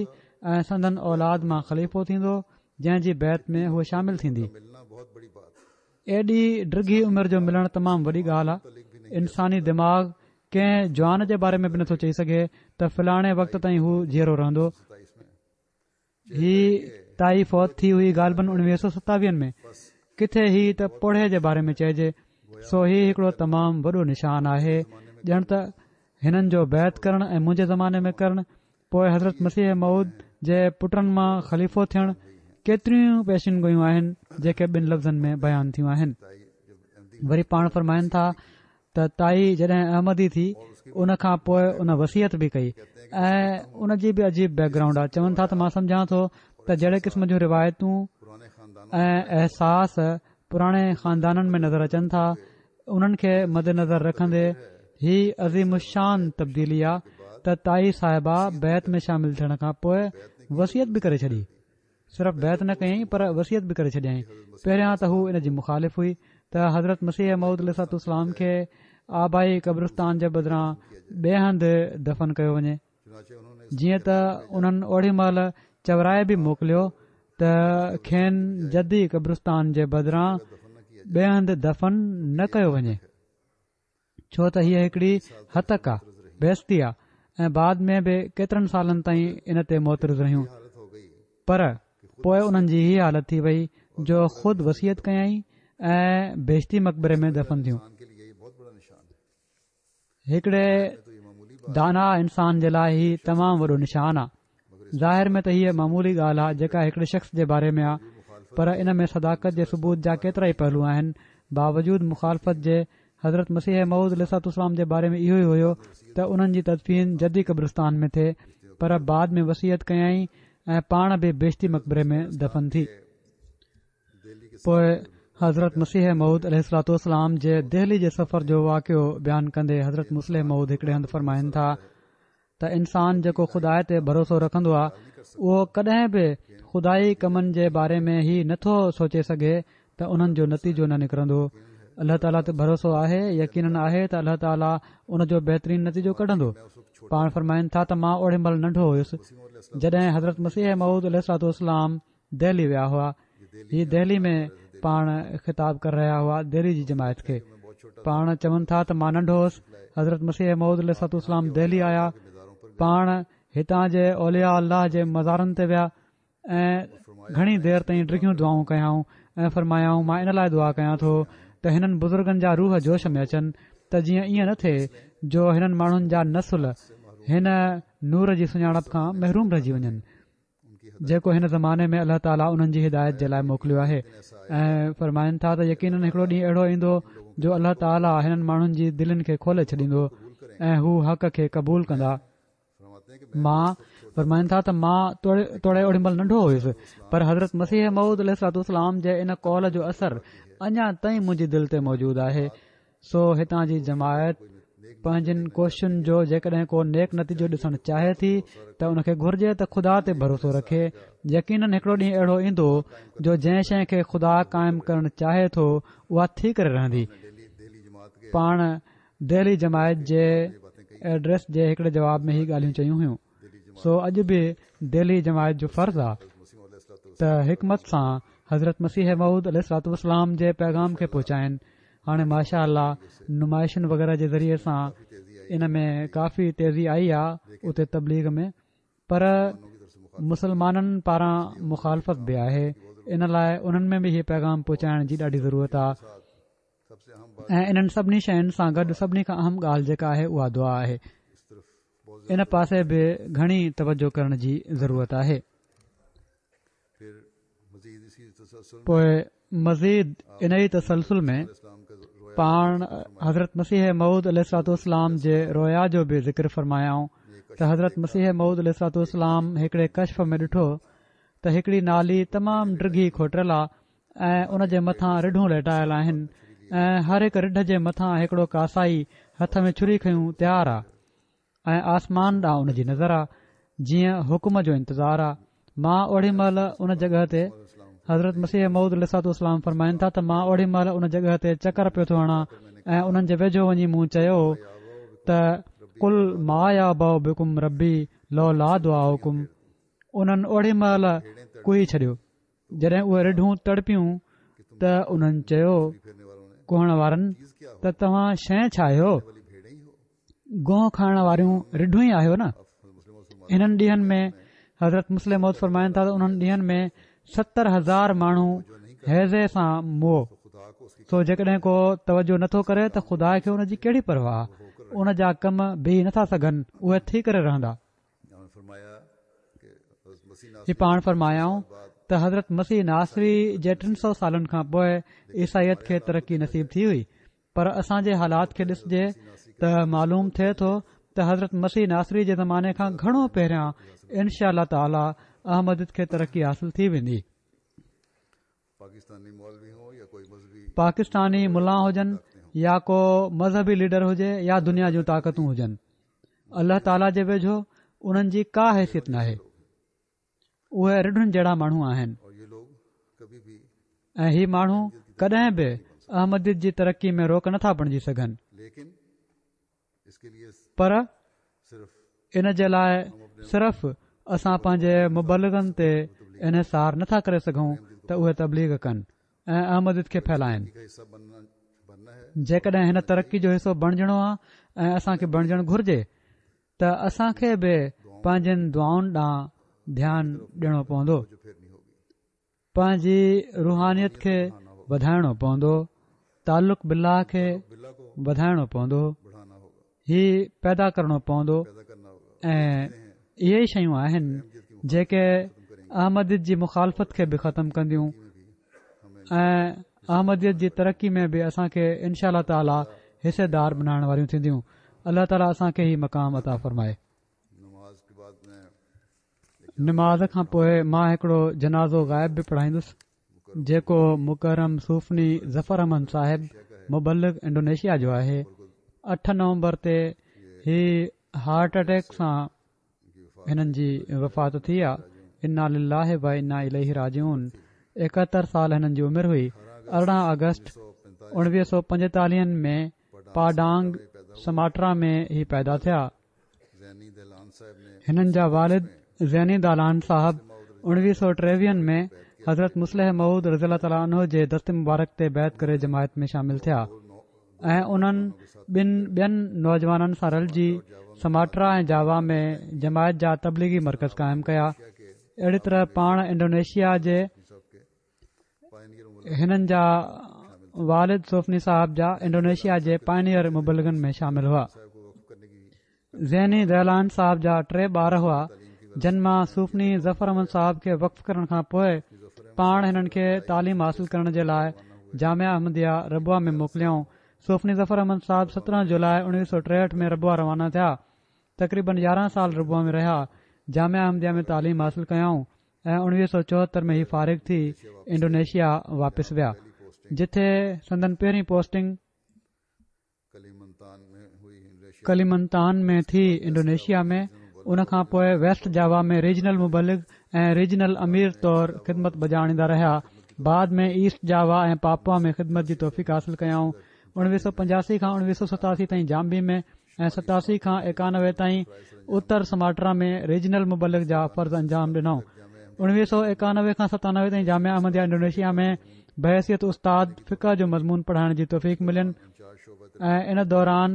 ۽ سندن اولاد مان خليفو ٿيندو جنهن جي بيعت ۾ هوء شامل ٿيندي. ايڏي ڊگهي عمر جو ملڻ تمام وڏي ڳالهه آهي. انساني دماغ ڪنهن جوان جي باري ۾ به نٿو چئي سگهي ته فلاڻي وقت تائين هو جيئرو رهندو. هي تائي فوت ٿي هئي غالباً اڻويهه سو ستاويهن ۾ ڪٿي هي ته پوڙهي جي باري ۾ چئجي سو هي هڪڙو تمام وڏو نشان آهي ڄڻ ته هنن جو بيعت ڪرڻ ۽ منهنجي زماني ۾ ڪرڻ پوء حضرت مسيح موعود جي پٽن مان خليفو ٿيڻ ڪيتريون پيشن گوئيون آهن جيڪي ٻن لفظن ۾ بيان ٿيون آهن وري پاڻ فرمائن ٿا ته تائي جڏهن احمدي ٿي ان کان پوء ان وصيت به ڪئي ۽ ان جي به عجيب بيڪ گرائونڊ آهي چون ٿا ته مان سمجهان ٿو ته جهڙي قسم جون روايتون ۽ احساس پراڻي خاندانن ۾ نظر اچن ٿا انهن کي مد نظر رکندي هي عظيم الشان تبديلي آ ته تائي صاحبه بيعت ۾ شامل ٿيڻ کان پوء وصيت به ڪري ڇڏي صرف بيعت نه ڪيائين پر وصيت به ڪري ڇڏيائين. پهريان ته هو ان جي مخالف هئي ته حضرت مسيح موعود عليه الصلوة والسلام کي آبائي قبرستان جي بدران ٻئي هنڌ دفن ڪيو وڃي. جيئن ته انهن اوڙي مهل چورائي به موڪليو ته کين جدي قبرستان جي بدران ٻئي هنڌ دفن نه ڪيو وڃي. ڇو ته هيء هڪڙي هتڪ آ، بيعزتي آ ۽ بعد ۾ به ڪيترن سالن تائين ان تي معترض رهيون. پر پوء انهن جي هيء حالت ٿي وئي جو خود وصيت ڪيائين ۽ بهشتي مقبري ۾ دفن ٿيون. هڪڙي دانا انسان جي لاء هي تمام وڏو نشان آ. ظاهر ۾ ته هيء معمولي ڳالهه آهي جيڪا هڪڙي شخص جي باري ۾ آهي پر ان ۾ صداقت جي ثبوت جا ڪيترائي پهلو آهن. باوجود مخالفت جي حضرت مسيح موعود عليه الصلوة والسلام جي باري ۾ اهو ئي هيو ته انهن جي تدفين جدي قبرستان ۾ ٿئي پر بعد ۾ وصيت ڪيائين ۽ پاڻ به بهشتي مقبري ۾ دفن ٿي. پوء حضرت مسيح موعود عليه الصلوة والسلام جي دهلي جي سفر جو واقعو بيان ڪندي حضرت مصلح موعود هڪڙي هنڌ فرمائن ٿا ته انسان جيڪو خدا تي ڀروسو رکندو آهي اهو ڪڏهن به خدائي ڪمن جي باري ۾ هي نٿو سوچي سگهي ته انهن جو نتيجو نه نڪرندو. الله تعاليٰ تي ڀروسو آهي، يقينن آهي ته الله تعاليٰ ان جو بهترين نتيجو ڪڍندو. پاڻ فرمائن ٿا ته مان اوڏي مهل ننڍو هيس، جڏهن حضرت مسيح موعود عليه الصلوة والسلام دهلي ويا هئا. هي دهلي ۾ پاڻ خطاب ڪري رهيا هئا دهلي جي جماعت کي. پاڻ چون ٿا ته مان ننڍو هوس، حضرت مسيح موعود عليه الصلوة والسلام دهلي آيا، پاڻ هتان جي اولياء الله جي مزارن تي ويا ۽ گهڻي دير تائين ڊگهيون دعائون ڪيائون ۽ فرمايائون مان ان لاء دعا ڪيان ٿو ته هنن بزرگن جا روح جوش ۾ اچن ته جيئن ائين نه ٿئي جو هنن ماڻهن جا نسل هن نور جي سڃاڻپ کان محروم رهجي وڃن جيڪو هن زماني ۾ الله تعاليٰ انهن جي هدايت جي لاء موڪليو آهي ۽ فرمائن ٿا ته يقينن هڪڙو ڏينهن اهڙو ايندو جو الله تعاليٰ هنن ماڻهن جي دلين کي کولي ڇڏيندو ۽ هو حق کي قبول ڪندا مان فرمائن ٿا ته مان توڙي اوڏي مهل ننڍو هيس پر حضرت مسيح موعود عليه الصلوة والسلام جي ان قول جو اثر اڃا تائين منهنجي دل تي موجود آهي سو هتان جي جماعت پنهنجن ڪوششن جو جيڪڏهن ڪو نيڪ نتيجو ڏسڻ چاهي ٿي ته ان کي گهرجي ته خدا تي ڀروسو رکي يقينن هڪڙو ڏينهن اهڙو ايندو جو جنهن شيء کي خدا قائم ڪرڻ چاهي ٿو اها ٿي ڪري رهندي پاڻ دهلي جماعت جي ايڊريس جي هڪڙي جواب ۾ هي ڳالهيون چيون هيون سو اڄ به دهلي جماعت جو فرض آ ته حڪمت سان حضرت مسيح موعود عليه الصلوة والسلام جي پيغام کي پهچائن هاڻي ماشاء الله نمائشن وغيره جي ذريعي سان ان ۾ ڪافي تيزي آئي آ اتي تبليغ ۾ پر مسلمانن پاران مخالفت به آهي ان لاء انهن ۾ به هي پيغام پهچائڻ جي ڏاڍي ضرورت آ ۽ انهن سڀني شين سان گڏ سڀني کان اهم ڳالهه جيڪا آهي اها دعا آهي ان پاسي به گهڻي توجه ڪرڻ جي ضرورت آهي پوء مزيد ان ئي تسلسل ۾ پاڻ حضرت مسيح موعود عليه الصلوة والسلام جي رويا جو به ذڪر فرمايائون ته حضرت مسيح موعود عليه الصلوة والسلام هڪڙي ڪشف ۾ ڏٺو ته هڪڙي نالي تمام ڊگهي کوٽريل آ ۽ ان جي مٿان رڍون ليٽايل آهن ۽ هر هڪ رڍ جي مٿان هڪڙو ڪاسائي هٿ ۾ ڇري کنيون تيار آ ۽ آسمان ڏانهن ان جي نظر آ جيئن حڪم جو انتظار آ مان اوڙي مهل ان جڳهه تي حضرت مسيح موعود عليه الصلوة والسلام فرمائن ٿا ته مان اوڙي مهل ان جڳهه تي چڪر پيو ٿو هڻان ۽ انهن جي ويجهو وڃي مون چيو ته قل ما يعبأ بڪم ربي لولا دعاؤڪم انهن اوڙي مهل ڪهي ڇڏيو جڏهن اهي رڍون تڙپيون ته انهن چيو ڪهڻ وارن ته توهان شيء ڇا آهيو گوهه کائڻ واريون رڍون ئي آهيو نه انهن ڏينهن ۾ حضرت مصلح موعود فرمائن ٿا ته انهن ڏينهن ۾ 70000 ماڻهو هيضي سان مئو سو جيڪڏهن ڪو توجه نٿو ڪري ته خدا کي ان جي ڪهڙي پرواهه ان جا ڪم بيهي نٿا سگهن اهي ٿي ڪري رهندا هي پاڻ فرمايائون ته حضرت مسيح ناصري جي ٽن سو سالن کان پوء عيسائيت کي ترقي نصيب ٿي هئي پر اسان جي حالات کي ڏسجي ته معلوم ٿئي ٿو ته حضرت مسيح ناصري جي زماني کان گهڻو پهريان انشاء الله تعالي احمديت کي ترقي حاصل ٿي ويندي پاڪستاني ملان هجن يا ڪو مذهبي ليڊر هجي يا دنيا جون طاقتون هجن الله تعاليٰ جي ويجهو انهن جي ڪا حيثيت ناهي اهي رڍن جهڙا ماڻهو آهن ۽ هي ماڻهو ڪڏهن به احمديت جي ترقي ۾ روڪ نٿا بڻجي سگهن پر ان جي لاء صرف اسان پنهنجي مبلغن تي انحصار نٿا ڪري سگهون ته اهي تبليغ ڪن ۽ احمديت کي ڦهلائن جيڪڏهن هن ترقي جو حصو بڻجڻو آهي ۽ اسان کي بڻجڻ گهرجي ته اسان کي به پنهنجين دعائن ڏانهن ڌيان ڏيڻو پوندو پنهنجي روحانيت کي وڌائڻو پوندو تعلق بالله کي وڌائڻو پوندو هي پيدا ڪرڻو پوندو ۽ اهي ئي شيون آهن جيڪي احمديت جي مخالفت کي به ختم ڪنديون ۽ احمديت جي ترقي ۾ به اسان کي انشاء الله تعالي حصيدار بنائڻ واريون ٿينديون الله تعالي اسان کي هي مقام عطا فرمائي نماز کان پوء مان هڪڙو جنازو غائب به پڙهائيندس جيڪو مڪرم صوفني ظفر احمد صاحب مبلغ انڊونيشيا جو آهي اٺ نومبر تي هي هارٽ اٽيڪ سان هنن جي وفات ٿي آ انا لله و انا اليه راجعون 71 سال هنن جي عمر هئي. ارڙهن آگسٽ اڻويهه سؤ پنجيتاليهن ۾ پاڊانگ سماٽرا ۾ هي پيدا ٿيا. هنن جا والد زيني دالان صاحب اڻويهه سؤ ٽيويهن ۾ حضرت مصلح موعود رضي الله تعالٰي عنه جي دست مبارڪ تي بيعت ڪري جماعت ۾ شامل ٿيا ۽ انهن ٻن ٻين نوجوانن سان رلجي سماٽرا ۽ جاوا ۾ جماعت جا تبليغي مرڪز قائم ڪيا. اهڙي طرح پاڻ انڊونيشيا جي هنن جا والد صوفني صاحب جا انڊونيشيا جي پائنيئر مبلغن ۾ شامل هئا. زيني دهلان صاحب جا ٽي ٻار هئا جن مان صوفني ظفر احمد صاحب کي وقف ڪرڻ کان پوء پاڻ هنن کي تعليم حاصل ڪرڻ جي لاء جامعه احمديه ربوه ۾ موڪليائون. صوفني ظفر احمد صاحب 17 جولاء 1963 ۾ ربوه روانا ٿيا. تقريبن 11 سال ربوه ۾ رهيا. جامعه احمديه ۾ تعليم حاصل ڪيائون. ۽ 1974 ۾ هي فارغ ٿي انڊونيشيا واپس ويا جتي سندن پهرين پوسٽنگ ڪليمنتان ۾ ٿي انڊونيشيا ۾ ان کان پوء ويسٽ جاوا ۾ ريجنل مبلغ ۽ ريجنل امير طور خدمت بجا آڻيندا رهيا بعد ۾ ايسٽ جاوا ۽ پاپوا ۾ خدمت جي توفيق حاصل ڪيائون 1985 کان 1987 تائين جامبي ۾ ۽ 87 کان 91 تائين اتر سماٽرا ۾ ريجنل مبلغ جا فرض انجام ڏنائون. 1991 کان 97 تائين جامعه احمديه انڊونيشيا ۾ بحيثيت استاد فقه جو مضمون پڙهائڻ جي توفيق ملين ۽ ان دوران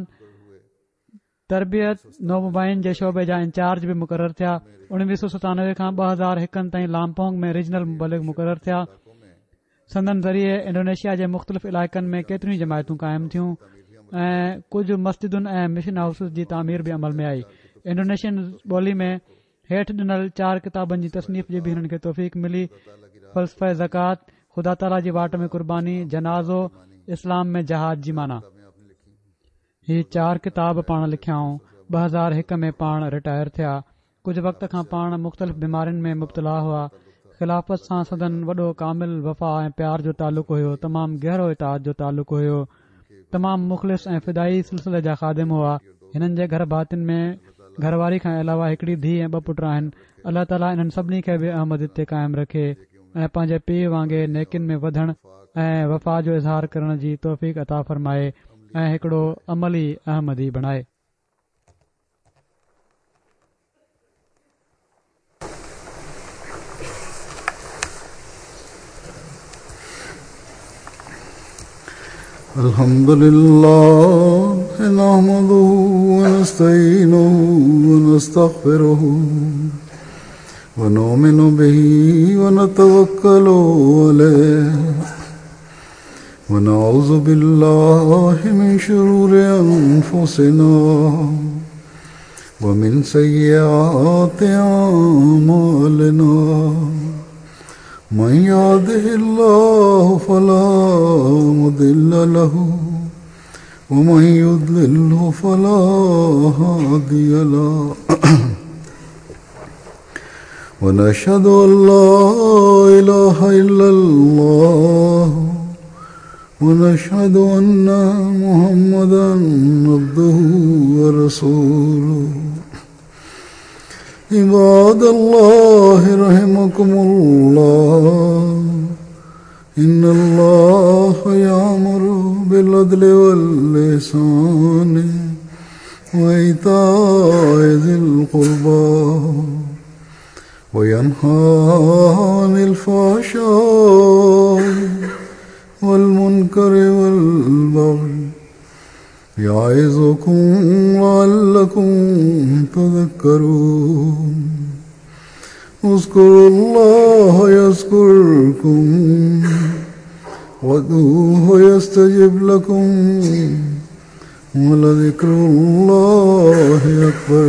تربيت نومبائعين جي شعبي جا انچارج به مقرر ٿيا. 1997 کان 2001 تائين لامپونگ ۾ ريجنل مبلغ مقرر ٿيا. سندن ذريعي انڊونيشيا جي مختلف علائقن ۾ ڪيتريون ئي جماعتون قائم ٿيون ۽ ڪجهه مسجدن ۽ مشن هائوسز جي تعمير به عمل ۾ آئي. انڊونيشين ٻولي ۾ هيٺ ڏنل چار ڪتابن جي تصنيف جي به هنن کي توفيق ملي، فلسفه زڪوات، خدا تعاليٰ جي واٽ ۾ قرباني، جنازو، اسلام ۾ جهاد جي معنيٰ. هي چار ڪتاب پاڻ لکيائون. 2001 ۾ پاڻ رٽائر ٿيا. ڪجهه وقت کان پاڻ مختلف بيمارين ۾ مبتلا هئا. خلافت سان سندن وڏو ڪامل وفا ۽ پيار جو تعلق هيو. تمام گهرو اطاعت جو تعلق هيو. تمام مخلص ۽ فدائي سلسلي جا خادم هئا. هنن جي گهر ڀاتين ۾ گهر واري کان علاوه هڪڙي ڌيء ۽ ٻه پٽ آهن. الله تعاليٰ انهن سڀني کي به احمديت تي قائم رکي. ۽ پنهنجي پيء وانگي نيڪين ۾ وڌڻ ۽ وفا جو اظهار ڪرڻ جي توفيق عطا فرمائي ۽ هڪڙو عملي احمدي بڻائي. الحمد لله نحمده ونستعينه ونستغفره ونؤمن به ونتوكل عليه ونعوذ بالله من شرور أنفسنا ومن سيئات أعمالنا من يهده الله فلا مضل له ومن يضلله فلا هادي له ونشهد أن لا إله إلا الله ونشهد أن محمدا عبده ورسوله عباد الله رحمكم الله إن الله يأمر بالعدل واللسان وإيتاء ذي القربى وينهى عن الفحشاء والمنكر والبغي يعظكم لعلكم تذكرون اذكروا الله يذكركم وادعوه يستجب لكم ولذكر الله أكبر.